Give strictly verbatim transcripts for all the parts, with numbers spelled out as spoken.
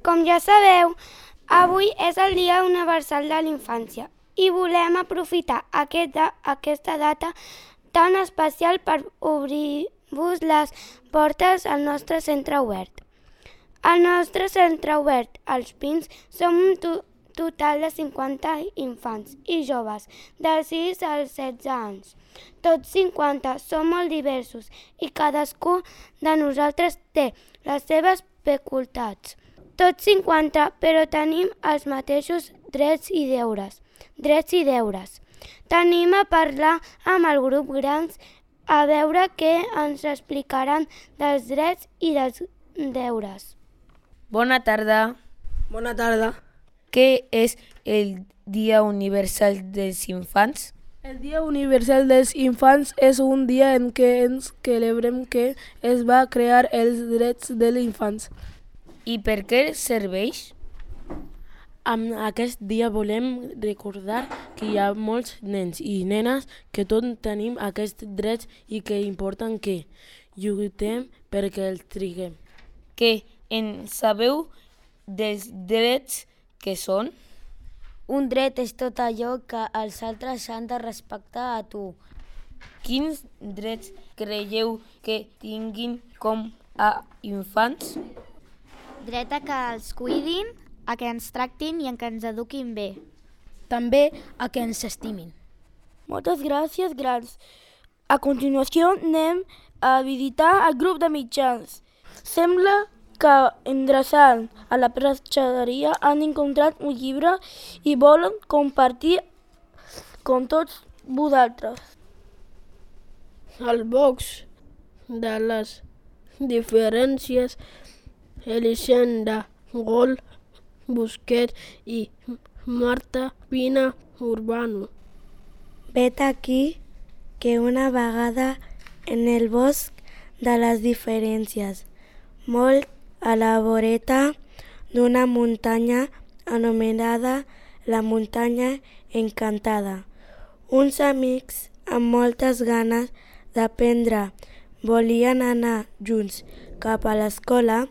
Com ja sabeu, avui és el Dia Universal de la Infància i volem aprofitar aquesta, aquesta data tan especial per obrir-vos les portes al nostre centre obert. Al nostre centre obert, als Pins, som un to total de cinquanta infants i joves de sis als setze anys. Tots cinquanta som molt diversos i cadascú de nosaltres té les seves peculiaritats. Tots cinquanta, però tenim els mateixos drets i deures. Drets i deures. Tenim a parlar amb el grup grans a veure què ens explicaran dels drets i dels deures. Bona tarda. Bona tarda. Què és el Dia Universal dels Infants? El Dia Universal dels Infants és un dia en què ens celebrem que es va crear els drets dels infants. I per què serveix? Amb aquest dia volem recordar que hi ha molts nens i nenes que tots tenim aquests drets i que és important que lluitem perquè els triguem. Què en sabeu dels drets que són? Un dret és tot allò que els altres han de respectar a tu. Quins drets creieu que tinguin com a infants? Dret a que els cuidin, a que ens tractin i a que ens eduquin bé. També a que ens estimin. Moltes gràcies, grans. A continuació anem a visitar el grup de mitjans. Sembla que endreçant a la prestatgeria han encontrat un llibre i volen compartir com tots vosaltres. Al box de les diferències Elisenda, Gol, Busquets i Marta Pina Urbano. Vet aquí que una vegada en el bosc de les diferències, molt a la voreta d'una muntanya anomenada la muntanya encantada, uns amics amb moltes ganes d'aprendre volien anar junts cap a l'escola.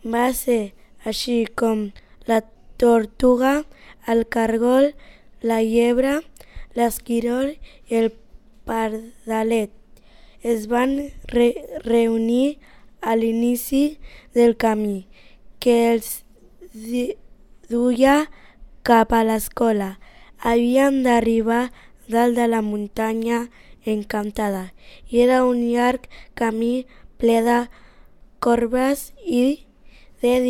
Va ser així com la tortuga, el cargol, la llebre, l'esquirol i el pardalet es van re reunir a l'inici del camí que els duia cap a l'escola. Havien d'arribar dalt de la muntanya encantada i era un llarg camí ple de corbes i de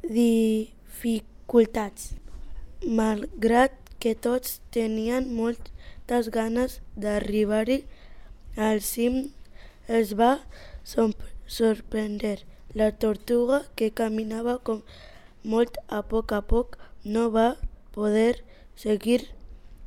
dificultats. Malgrat que tots tenien moltes ganes d'arribar-hi al cim, els va sorprendre. La tortuga, que caminava com molt a poc a poc, no va poder seguir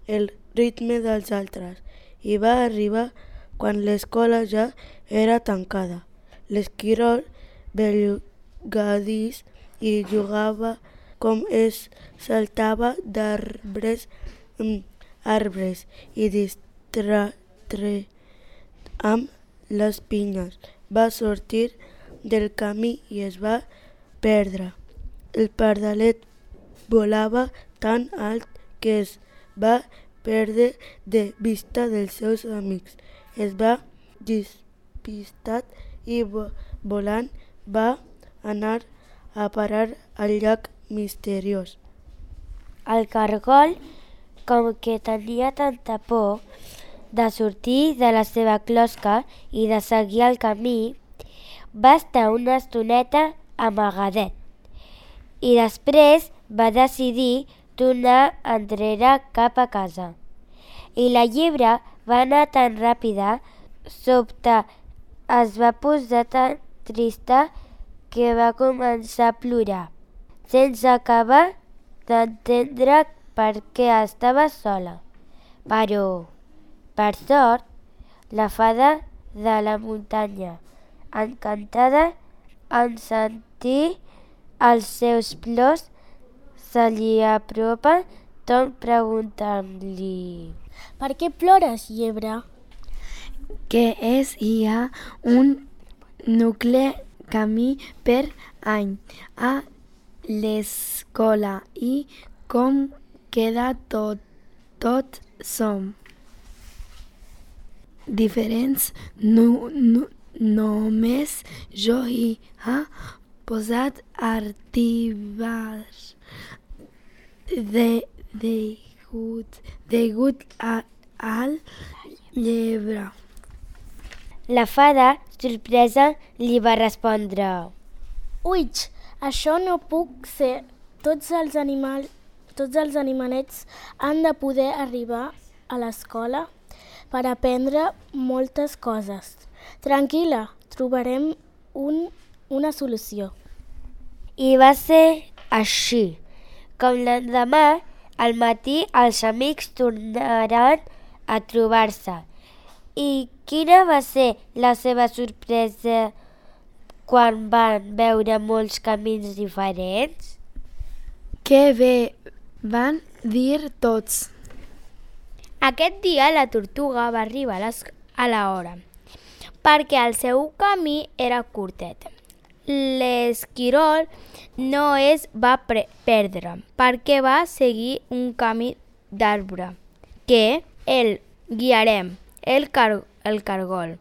el ritme dels altres i va arribar quan l'escola ja era tancada. L'esquirol bellugadís i jugava com es saltava d'arbres en arbres i distret amb les pinyes. Va sortir del camí i es va perdre. El pardalet volava tan alt que es va perdre de vista dels seus amics. Es va despistar i volant va anar a parar al llac misteriós. El cargol, com que tenia tanta por de sortir de la seva closca i de seguir el camí, va estar una estoneta amagadet i després va decidir tornar enrere cap a casa. I la llebre va anar tan ràpida, sobte es va posar tan trista que va començar a plorar, sense acabar d'entendre per què estava sola. Però, per sort, la fada de la muntanya, encantada en sentir els seus plors, se li apropa tot preguntant-li: «Per què plores, llebre?» Que és hi ha un nucle camí per any a l'escola i com queda tot. Tots som diferents, no, no, només jo hi ha posat artibars de, degut, degut a, al llebre. La fada, sorpresa, li va respondre: Uix, això no puc ser. Tots els animals, tots els animalets han de poder arribar a l'escola per aprendre moltes coses. Tranquil·la, trobarem un, una solució. I va ser així. Com l'endemà, al matí, els amics tornaran a trobar-se. I quina va ser la seva sorpresa quan van veure molts camins diferents? Que bé, van dir tots. Aquest dia la tortuga va arribar a, les, a l'hora, perquè el seu camí era curtet. L'esquirol no es va pre- perdre, perquè va seguir un camí d'arbre, que el guiarem, el, car- el cargol.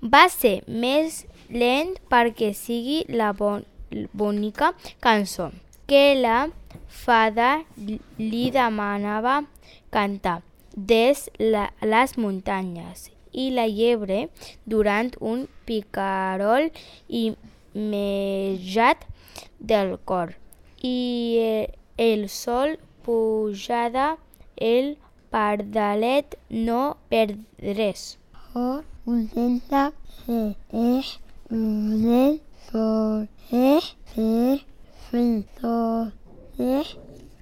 Va ser més lent perquè sigui la bon- bonica cançó que la fada li demanava cantar des la, les muntanyes, i la llebre, durant un picarol immediat del cor, i el sol pujada, el pardalet no perdres. Oh, contenta, eh, eh, eh, por, eh, eh, frito, eh,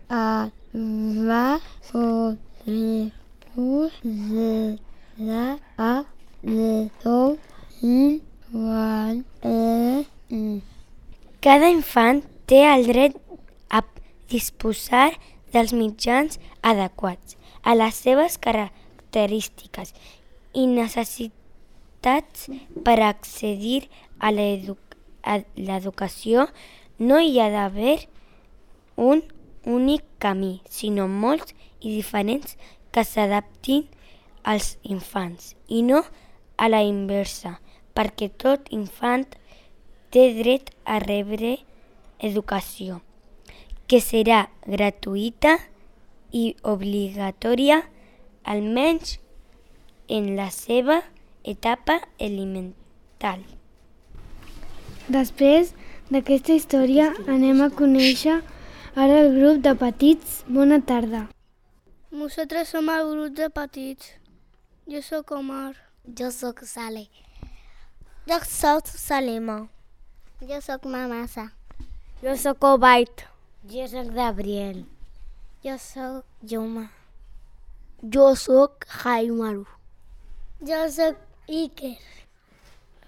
a, va, por, re, pu, ze, la, a, le, do, i, wan, e, i. Cada infant té el dret a disposar dels mitjans adequats a les seves característiques i necessitats per accedir a l'educació. No hi ha d'haver un únic camí, sinó molts i diferents que s'adaptin als infants, i no a la inversa, perquè tot infant té dret a rebre educació, que serà gratuïta i obligatòria, almenys en la seva etapa elemental. Després d'aquesta història anem a conèixer ara el grup de petits. Bona tarda. Nosaltres som el grup de petits. Jo sóc Omar. Jo sóc Sale. Jo sóc Salima. Jo sóc Mamasa. Jo sóc Obait. Jo sóc Gabriel. Jo sóc Juma. Jo sóc Jaimaru. Jo sóc Iker.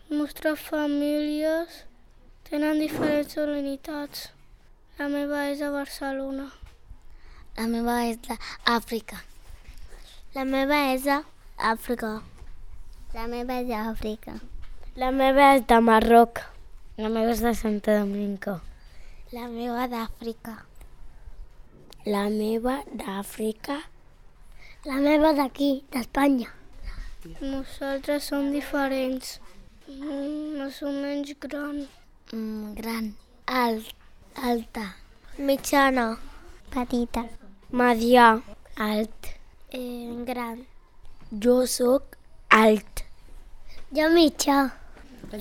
Les nostres famílies tenen diferents unitats. La meva és a Barcelona. La meva és d'Àfrica. La meva és d'Àfrica. La meva és d'Àfrica. La meva és de Marroc. La meva és de Santo Domingo. La meva d'Àfrica. La meva d'Àfrica. La meva d'aquí, d'Espanya. Nosaltres som diferents. Mm, no som menys gran. Mm, gran. Alt. Alta. Mitjana. Petita. Medià. Alt. Eh, gran. Jo sóc alt. Jo mitjà.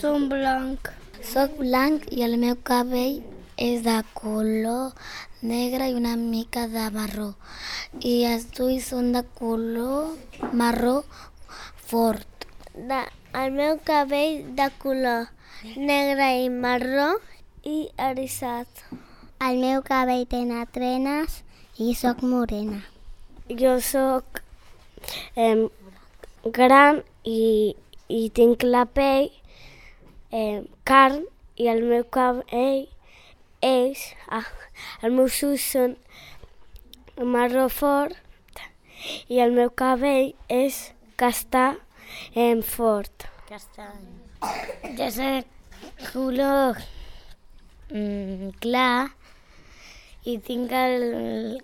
Som blanc. Soc blanc i el meu cabell és de color negre i una mica de marró. I els ulls són de color marró fort. De, el meu cabell de color negre i marró i eriçat. El meu cabell té trenes i sóc morena. Jo sóc eh, gran i, i tinc la pell eh, carn, i el meu cabell és... Ah, els meus ulls són marró fort i el meu cabell és castà eh, fort. Castany. Jo soc color mm, clar i tinc el,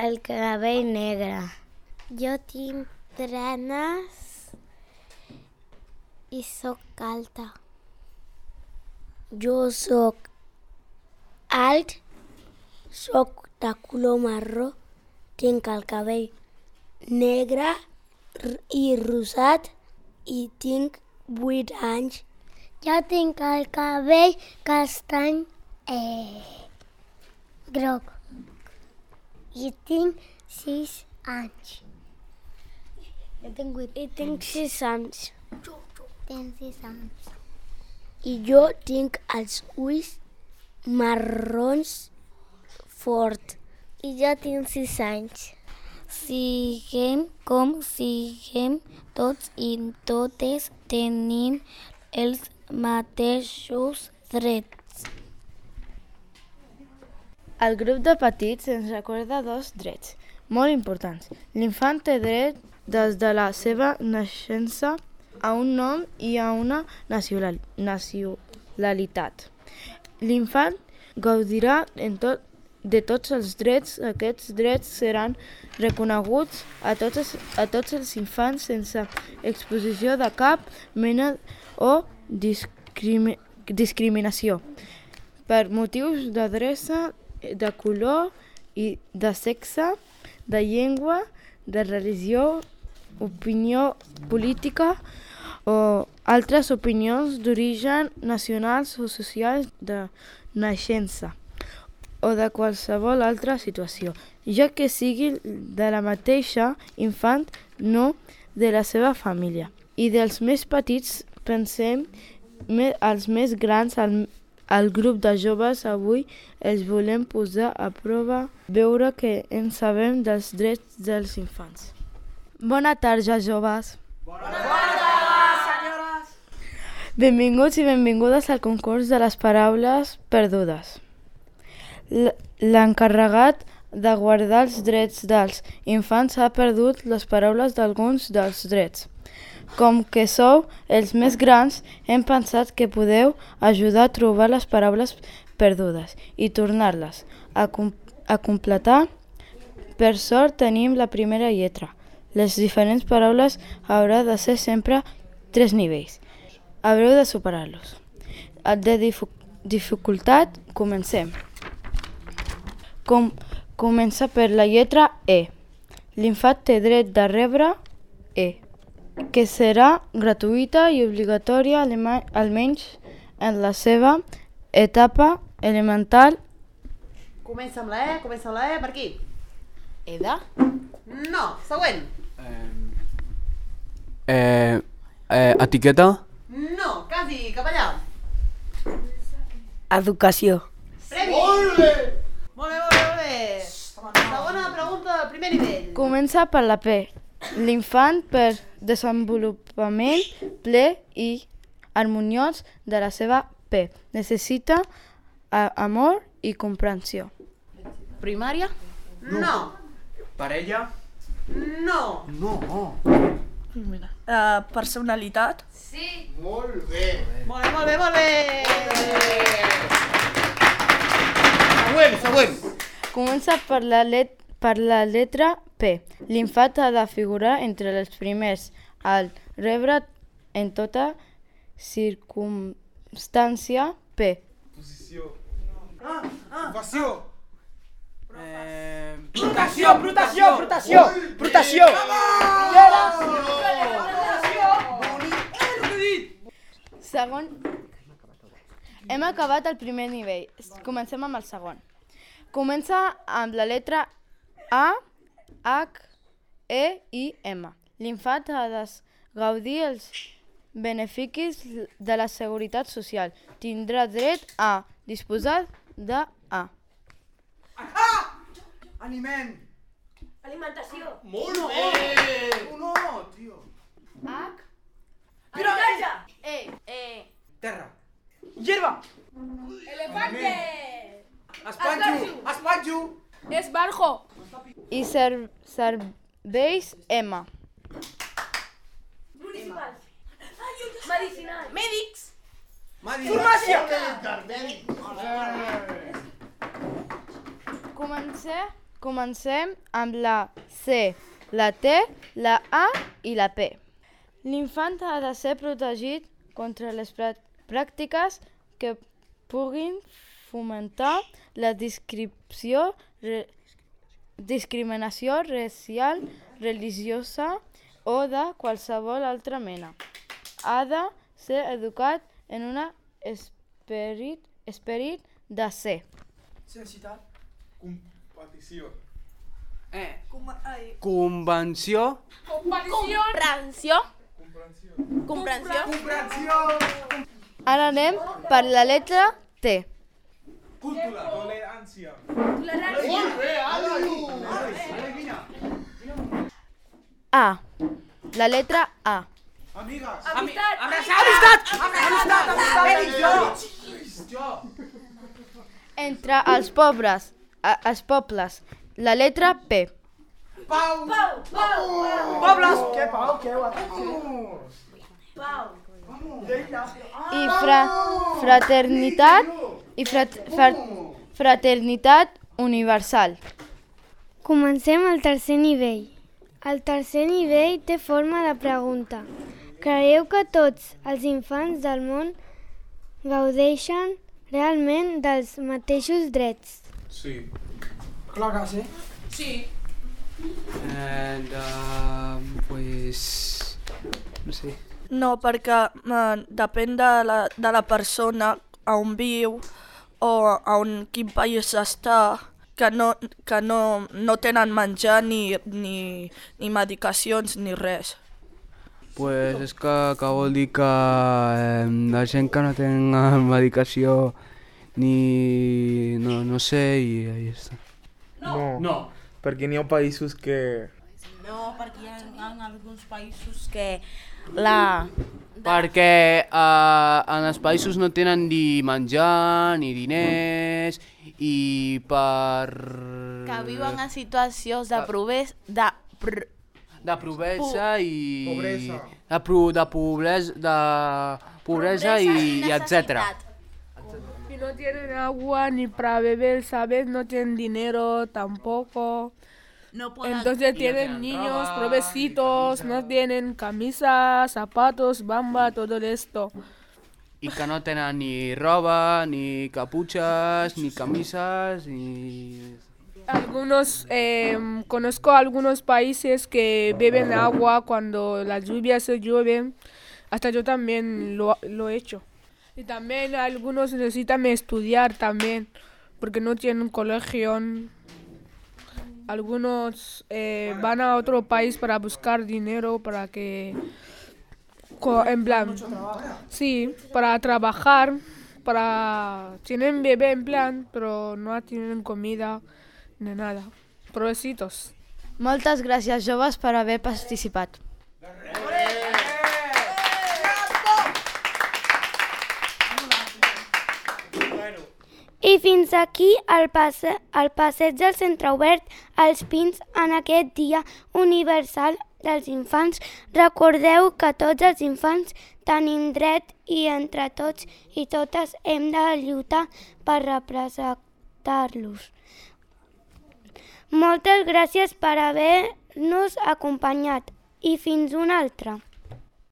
el cabell negre. Jo tinc trenes i sóc alta. Jo sóc alt, sóc de color marró, tinc el cabell negre i rosat i tinc vuit anys. Jo tinc el cabell castany eh, groc i tinc sis anys. Jo tinc vuit. I tinc sis anys. Tinc sis anys. I jo tinc els ulls marrons fort. I jo tinc sis anys. Siguem com siguem, tots i totes tenim els mateixos drets. El grup de petits ens recorda dos drets molt importants. L'infant té dret des de la seva naixença a un nom i a una nacionalitat. L'infant gaudirà en tot, de tots els drets. Aquests drets seran reconeguts a tots, els, a tots els infants sense exposició de cap mena o discrimi, discriminació per motius d'adreça, de color i de sexe, de llengua, de religió, opinió política o altres opinions d'origen nacionals o socials de naixença o de qualsevol altra situació, ja que sigui de la mateixa infant, no de la seva família. I dels més petits pensem als més grans, al, al grup de joves, avui els volem posar a prova, veure que en sabem dels drets dels infants. Bona tarda, joves. Bona tarda, senyores. Benvinguts i benvingudes al concurs de les paraules perdudes. L'encarregat de guardar els drets dels infants ha perdut les paraules d'alguns dels drets. Com que sou els més grans, hem pensat que podeu ajudar a trobar les paraules perdudes i tornar-les a, com a completar. Per sort tenim la primera lletra. Les diferents paraules haurà de ser sempre tres nivells. Haureu de superar-los. De dificultat, comencem. Com, comença per la lletra E. L'infant té dret de rebre E, que serà gratuïta i obligatòria almenys en la seva etapa elemental. Comença amb la E, comença amb la E, per aquí. Eda? No, següent. Eh, eh, etiqueta? No, quasi, cap allà. Educació. Premi. Molt bé! Molt bé, molt bé, molt bé. Segona pregunta del primer nivell. Comença per la P. L'infant per desenvolupament ple i harmoniós de la seva P. Necessita amor i comprensió. Primària? No. Parella? No. No. Uh, personalitat? Sí. Molt bé. Molt bé, molt bé, molt bé. Següent, següent. Comença per la, let per la letra P. L'infant ha de figurar entre els primers al rebre en tota circumstància P. Posició. Ah, ah. Ocupació. Eh... Protació, protació, protació, protació. Segon. Hem acabat el primer nivell. Comencem amb el segon. Comença amb la letra A, H, E i M. L'infant ha de gaudir els beneficis de la seguretat social. Tindrà dret a disposar de A. Ah! Aliment. Alimentació. Molt bé. No, tio. H. Habitatge. E. E. Terra. Hierba. Elefante. Espanxo. Espanxo. Esbarjo. I ser serveis M. Municipal. Medicinal. Mèdics. Farmàcia. Comencem, comencem amb la C, la T, la A i la P. L'infant ha de ser protegit contra les pràctiques que puguin fomentar la discriminació, re, discriminació racial, religiosa o de qualsevol altra mena. Ha de ser educat en un esperit, esperit de ser. Sensitat. Competició. Eh. Ai. Convenció. Comprensió. Comprensió. Comprensió. Comprensió. Ara anem per la letra T. Cultura. Tolerància. Molt bé, Ali! Ale, vine. A. La letra A. Amigues. Amistat. Amistat! Amistat! Amistat! Jo! Entre els pobres, a, els pobles, la letra P. Pau! Pau. Pau. Pobles! Què, Pau? Què? Pau. I fra, fraternitat i frat, frat, fraternitat universal. Comencem al tercer nivell. El tercer nivell té forma de pregunta. Creieu que tots els infants del món gaudeixen realment dels mateixos drets? Sí. Clar que sí. Sí. And, uh, pues... No sé. No, perquè uh, depèn de la, de la persona a on viu o a on, quin país està, que no, que no, no tenen menjar ni, ni, ni medicacions ni res. Pues és que, que vol dir que eh, la gent que no tenen medicació ni... no, no sé, i ahí està. No. No. Perquè n'hi ha països que... No, perquè hi ha, hi ha alguns països que la... Perquè eh, en els països no tenen ni menjar, ni diners, i per... que viuen en situacions de proves... de... Pr... de pobresa i... Pobresa. De, pro, de pobresa, de pobresa i, i etcètera. Y no tienen agua ni para beber, ¿sabes? No tienen dinero tampoco. No pueden... Entonces tienen niños, provecitos, no tienen camisas, zapatos, bamba, todo esto. I que no tenen ni roba, ni caputxes, ni camises, ni... Algunos, eh, conozco algunos países que beben agua cuando las lluvias se llueven. Hasta yo también lo, lo he hecho. Y también algunos necesitan estudiar también, porque no tienen colegio. Algunos eh, van a otro país para buscar dinero, para que, en plan, sí, para trabajar, para, tienen bebé en plan, pero no tienen comida ni nada. Provecitos. Moltes gràcies, joves, per haver participat. I fins aquí el, passe, el passeig del Centre Obert als Pins en aquest Dia Universal dels Infants. Recordeu que tots els infants tenim dret i entre tots i totes hem de lluitar per representar-los. Moltes gràcies per haver-nos acompanyat i fins una altra.